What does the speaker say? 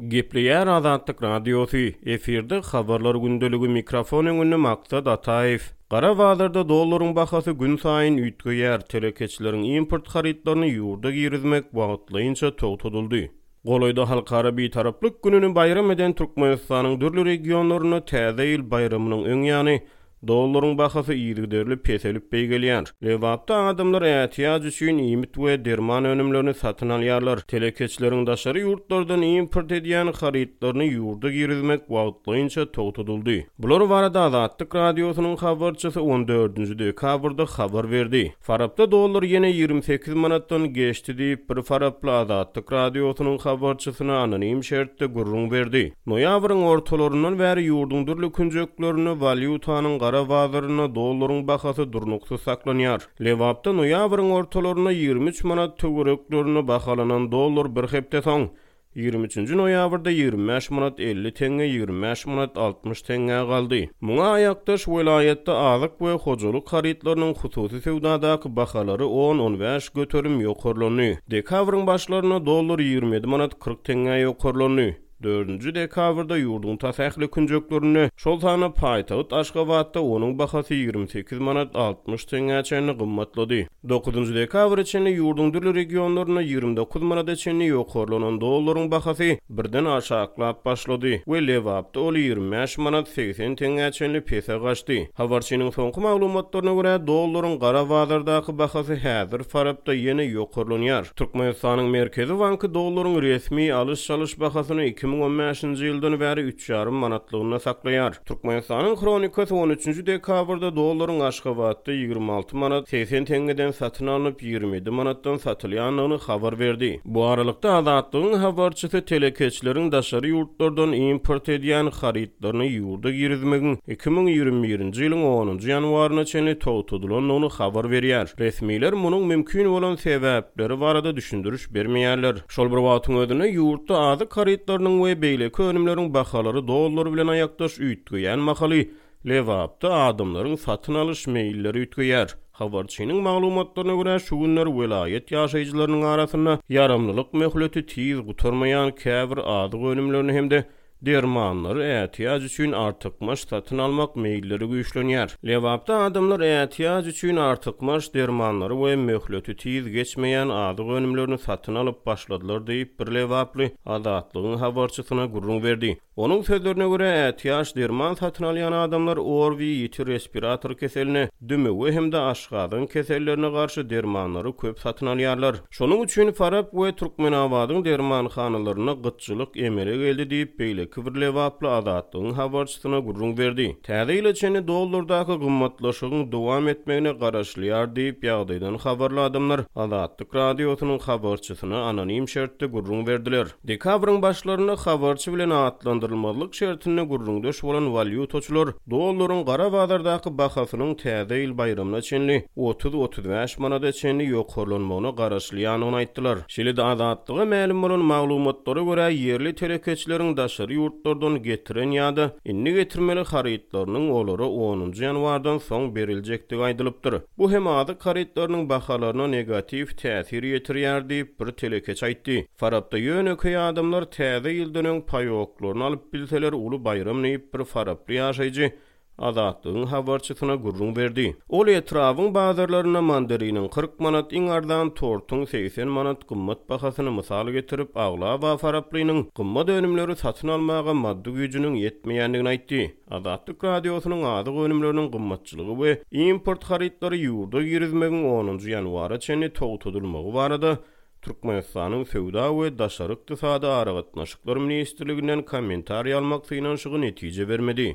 Gepleýär Azatlyk Radiosy, efirde Habarlar gündeligi mikrofon öňünde Maksat Ataýew. Gara bazarda dollaryň bahasy günsaýyn üýtgeýär, telekeçileriň import harytlaryny ýurda girizmek wagtlaýynça togtadyldy. Golaýda Halkara Bitaraplyk gününi baýram eden Türkmenistanyň dürli regionlarynda Täze ýyl baýramynyň öň ýany Dollaryň bahasy yzygiderli peselip beýgelýär. Lebapda adamlar ätiýaç üçin iýmit we derman önümlerini satyn alýarlar. Telekeçileriň daşary ýurtlardan import edýän harytlaryny ýurda girizmek wagtlaýynça togtadyldy. Bular barada Azatlyk Radiosynyň habarçysy on dördünji dekabrda habar berdi. Farapda dollar ýene 28 manatdan geçdi diýip, bir faraply Azatlyk Radiosynyň habarçysyna anonim şertde gürrüň berdi. Noýabryň ortalaryndan bäri ýurduň dürli künjeklerinde walýutanyň gara bazarynda dollaryň bahasy durnuksyz saklanýar. Lebapda noýabryň ortalarynda 23 manat töwereklerinde bahalanan dollar bir hepde soň, 23-nji noýabrda 25 manat 50 teňňe, 25 manat 60 teňňä galdy. Muňa aýakdaş welaýatda azyk we hojalyk harytlarynyň hususy söwdadaky bahalary on-on bäş göterim ýokarlandy. Dekabryň başlarynda dollar 27 manat 40 teňňä ýokarlandy. Dördünji dekabrda ýurduň tas ähli künjeklerinde, şol sanda paýtagt Aşgabatda onuň bahasy 28 manat 60 teňňä çenli gymmatlady. Dokuzynjy dekabra çenli ýurduň dürli regionlarynda 29 manada çenli ýokarlanan dollaryň bahasy birden aşaklap başlady we Lebapda ol 25 manat 80 teňňä çenli pese gaçdy. Habarçynyň soňky maglumatlaryna görä, dollaryň gara bazardaky bahasy häzir Farapda ýene ýokarlanýar. Türkmenistanyň Merkezi banky dollaryň resmi alyş-çalyş bahasyny 2015-nji ýyldan bäri üç ýarym manatlygynda saklaýar. Türkmenistanyň Hronikasy on üçünji dekabrda dollaryň Aşgabatda 26 manat 80 teňňeden satyn alnyp, 27 manatdan satylýandygyny habar berdi. Bu aralykda, Azatlygyň habarçysy telekeçileriň daşary ýurtlardan import edýän harytlaryny ýurda girizmegiň 2021-nji ýylyň onunjy ýanwaryna çenli togtadylandygyny habar berýär. Resmiler munuň mümkin bolan sebäpleri barada düşündiriş bermeýärler. Şol bir wagtyň özünde, ýurtda azyk harytlarynyň we beýleki önümleriň bahalary dollar bilen aýakdaş üýtgeýän mahaly, Lebapda adamlaryň satyn alyş meýilleri üýtgeýär. Habarçynyň maglumatlaryna görä, şu günler welaýat ýaşaýjylarynyň arasynda ýaramlylyk möhleti tiz gutarmaýan käbir azyk önümlerini hem-de dermanlary ätiýaç üçin artykmaç satyn almak meýilleri güýçlenýär. Lebapda adamlar ätiýaç üçin artykmaç dermanlary we möhleti tiz geçmeýän azyk önümlerini satyn alyp başladylar diýip, bir lebaply Azatlygyň habarçysyna gürrüň berdi. Onuň sözlerine görä, ätiýaç derman satyn alýan adamlar ORWI, ýiti respirator keseline, dümewe hem-de aşgazan kesellerine garşy dermanlary köp satyn alýarlar. Şonuň üçin Farap we Türkmenabadyň dermanhanalarynda gytçylyk emele geldi diýip, beýleki bir lebaply Azatlygyň habarçysyna gürrüň berdi. Täze ýyla çenli dollardaky gymmatlaşygyň dowam etmegine garaşylýar diýip, ýagdaýdan habarly adamlar Azatlyk Radiosynyň habarçysyna anonim şertde gürrüň berdiler. Dekabryň başlarynda habarçy bilen atlandyrylmazlyk şertinde gürrüňdeş bolan walýutaçylar dollaryň gara bazardaky bahasynyň Täze ýyl baýramyna çenli 30-35 manada çenli ýokarlanmagyna garaşylýandygyny aýtdylar. Şeýle-de Azatlyga mälim bolan maglumatlara görä, ýerli telekeçileriň daşary ýurtlardan getiren ýa-da indi getirmeli harytlarynyň olara onunjy ýanwardan soň beriljekdigi aýdylypdyr. Bu hem azyk harytlarynyň bahalaryna negatiw täsir ýetirýär diýip, bir telekeçi aýtdy. Farapda ýönekeý adamlar Täze ýyldan öň paýoklaryny alyp bilseler uly baýram diýip, bir faraply ýaşaýjy Azatlygyň habarçysyna gürrüň berdi. Ol etrabyň bazarlarynda mandariniň 40 manat, iň arzan tortuň 80 manat gymmat bahasyny mysal getirip, aglaba faraplynyň gymmat önümleri satyn almaga maddy güýjüniň ýetmeýändigini aýtdy. Azatlyk Radiosynyň azyk önümleriniň gymmatçylygy we import harytlary ýurda girizmegiň onunjy ýanwara çenli togtadylmagy barada Türkmenistanyň Söwda we daşary ykdysady aragatnaşyklar ministrliginden kommentariý almak synanyşygy netije bermedi.